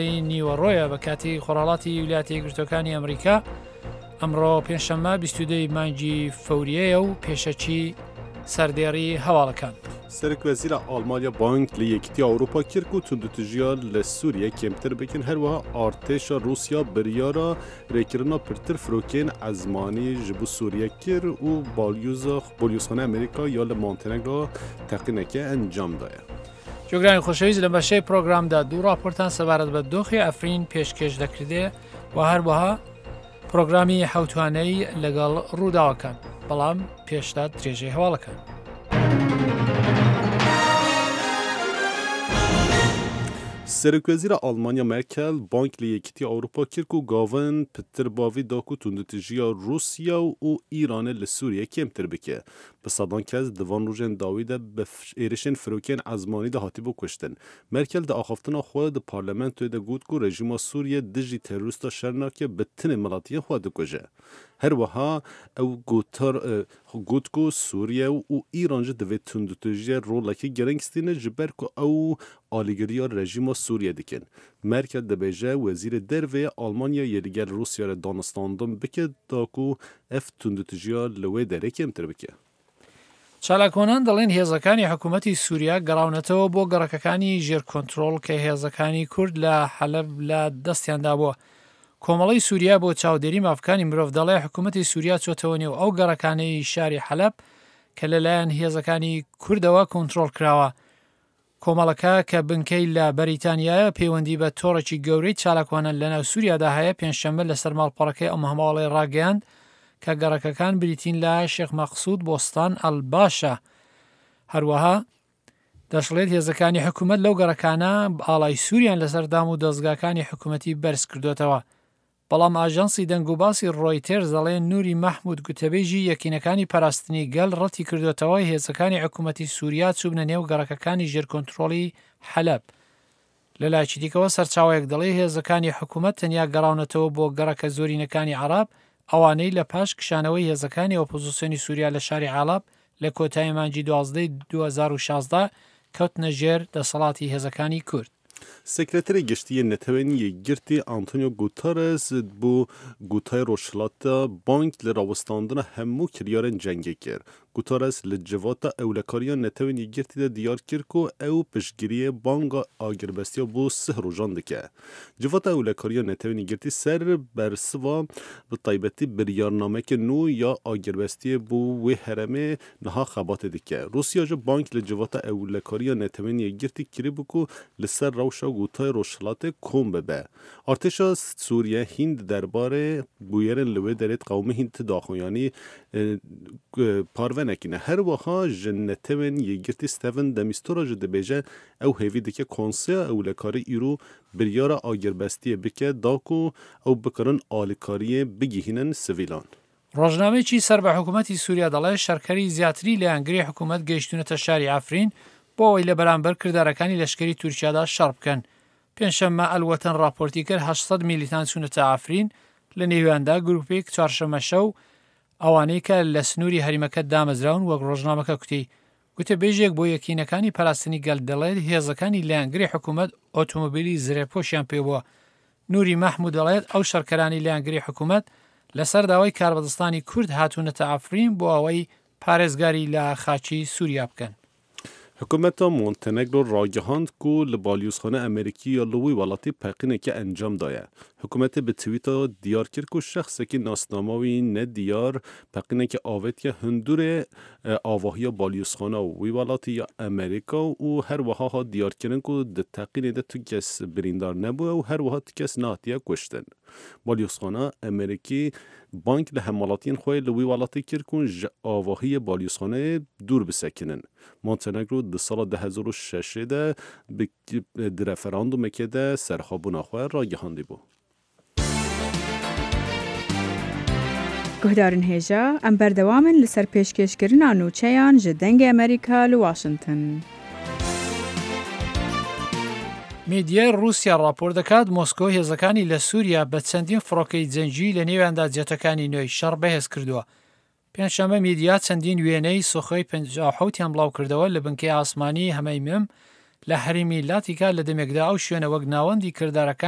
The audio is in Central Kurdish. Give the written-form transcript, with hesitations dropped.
ی نیوەڕۆیە بە کاتی خۆرهەڵاتی ویلایەتە یەکگرتووەکانی ئەمریکا ئەمڕۆ پێنجشەممە 22 ی مانگی فەوریەیە و پێشەکی سەردێڕی هەواڵەکان. Serokwezîra Almanya bang li Yekîtiya Ewropa kir ku tundûtûjiya li Sûriye kêmtir bikin, herwiha artêşa Rûsya biryara rêkirina pirtir firokeyên ezmanî ji bo Sûriye kir û balyozxaneya Amerîka ya li Montenegro teqîneke encam daye. جۆگرانی خۆشەویست لە بەشەی پرۆگرامدا دوو راپۆرتان سەبارەت بە دۆخی ئەفرین پێشکێش دەکردێ و هەروەها پرۆگرامی حوتوانەی لەگەڵ ڕووداوەکان بەڵام پێشتا درێژەی هەواڵەکان. Serokwezîra Almanya Merkel bang li Yekîtiya Ewropa kir ku gavin pitir bavî da ku tundûtûjiya Rûsya û Îranê li Sûriyê kêmtir bike. Bi sedan kes di van rojên dawî de bi êrişên firokeyên ezmanî de hatibû kuştin. Merkel di axaftina xwe di parlamentoyê de got ku rejîma Sûriyê dijî terorîsta şer nake bi tenê miletiyên xwe dikuje. Her wiha ew gotar got ku Sûriye û Îran jî di vê tundûtûjiyê rolekî giring stîne ji ber ku ew alîgiriya rejîma Sûriyê dikin. Merkel dibêje wezîrê derve yê Almanya yê li gel Rûsya re danûstandin bike da ku ev tundûtûjiya li wê derê kêmtir bike. چالاکوانان دەڵێن هێزەکانی حکوومەتی سووریا گەڕاونەتەوە بۆ گەڕەکەکانی ژێر کۆنترۆڵ کە هێزەکانی کورد لە حەلەب لە دەستیاندا بووە. کۆمەڵەی سووریا بۆ چاودێری مافەکانی مرۆڤ دەڵێ حکوومەتی سووریا چۆتەوە نێو ئەو گەڕەکانەی شاری حەلەب کە لەلایەن هێزەکانی کوردەوە کۆنترۆڵ کراوە. کۆمەڵەکە کە بنکەی لە بەریتانیایە پەیوەندی بە تۆڕێکی گەورەی چالاکوانان لەناو سوریادا هەیە، پێنجشەممە لەسەر ماڵپەڕەکەی ئەم هەواڵەی ڕاگەیاند کە گەڕەکەکان بریتین لە شێخ مەقسود، بۆستان، ئەلباشە. هەروەها دەشڵێت هێزەکانی حکومەت لەو گەڕەکانە ئاڵای سوریان لەسەر دام و دەزگاکانی حکومەتی بەرزکردۆتەوە. بەڵام ئاژانسی دەنگوباسی ڕۆیتێرز دەڵێ نوری مەحمود گوتەبێژی یەکینەکانی پاراستنی گەل ڕەتی کردۆتەوە هێزەکانی حکومەتی سوریا چووبنە نێو گەڕەکەکانی ژێر کۆنترۆڵی حەلەب. لەلایەکی دیکەوە سەرچاوەیەک دەڵێ هێزەکانی حکومەت تەنیا گەڕاونەتەوە بۆ گەڕەکە زۆرینەکانی عەڕەب ئەوانەی لە پاش کشانەوەی هێزەکانی ئۆپۆزسیۆنی سوریا لە شاری عەڵەب لە کۆتایی مانگی 12 2016 کەوتنە ژێر دەسەڵاتی هێزەکانی کورد. Sekreterê Giştî yê Neteweyên Yekgirtî Antonio Guterres bo Gutayê Rojhilata bang li rawestandina hemû kiryarên cengê kir. Guterres li Civata Ewlekariya Neteweyên Yekgirtî de diyar kir ku ew piştgiriyê banga agirbestiya bo sih rojan dike. Civata Ewlekariya Neteweyên Yekgirtî ser bersiva bi taybetî biryarnameke nû ya agirbestiyê bo wê herêmê niha xebatê dike. Rûsya jî bang li Civata Ewlekariya Neteweyên Yekgirtî kiribû ku li ser rewşa Gûtayê Rojhilatê kom bibe. Artêşa Sûriye hîn di derbarê bûyerên li wê derê diqewime hîn ti daxuyanî parve nekîne. Her wiha ji Netewên Yekgirtî Steven de Mistura jî dibêje ew hêvî dike Konseya Ewlekarî îro biryara agirbestiyê bike da ku ew bikarin alîkariyê bigihînin sivîlan. ڕۆژنامەیەکی سەر بە حکومەتی سوریا دەڵێت شەڕکەری زیاتری لایەنگری حکومەت گەیشتوونەتە شاری عەفرین بۆ ئەوەی لە بەرامبەر کردارەکانی لەشکری تورکیادا شەڕ بکەن. پێنجشەممە ئەلوەتەن ڕاپۆرتی کرد 800 میلیتان چوونەتە عەفرین، لە نێویاندا گروپێک چوارشەممە شەو ئەوانەی کە لە سنووری هەریمەکە دامەزراون وەک ڕۆژنامەکە کوتی. گوتەبێژێک بۆ یەکینەکانی پاراستنی گەل دەڵێت هێزەکانی لایەنگری حکومەت ئۆتۆمۆبیلی زرێپۆشیان پێبووە. نوری مەحمود دەڵێت ئەو شەڕکەرانی لایەنگری حکومەت لەسەر داوای کاربەدەستانی کورد هاتوونەتە عەفرین بۆ ئەوەی پارێزگاری لە خاکی سوریا بکەن. Hikûmeta Montenegro ragihand ku li balyozxana Amerîkî ya li wî welatî peqîneke encam daye. Hikûmetê bi twîta diyar kir ku şexsekî nasnama wî nediyar peqîneke avêtiye hundurê avahiya balyozxana wî welatî ya Amerîka û her wiha hat diyarkirin ku di teqînê de tu kes birîndar nebûye û her wiha tu kes nehatiye kuştin. Balyozxana Amerîkî bang li hemwelatiyên xwe li wî welatî kir ku ji avahiyê balyozxaneyê dûr bisekinin. Montenegro di sala 2006 de bi di referandumekê de serxwebûna xwe ragihandîbû. Guhdarên hêja, em berdewam in li ser pêşkêşkirina nûçeyan ji Dengê Amerîka li Washington. میدیای ڕووسیا ڕاپۆرت دەکات، مۆسکۆ هێزەکانی لە سووریا بە چەندین فڕۆکەی جەنگی لە نێویاندا جێتەکانی نوێی شەڕ بەهێز کردووە. پێنجشەممە میدیا چەندین وێنەی سوخۆی 57 یان بڵاوکردەوە لە بنکەی ئاسمانی هەمەیمم لە هەرێمی لاتیکا لە دەمێکدا ئەو شوێنە وەک ناوەندی کردارەکانی.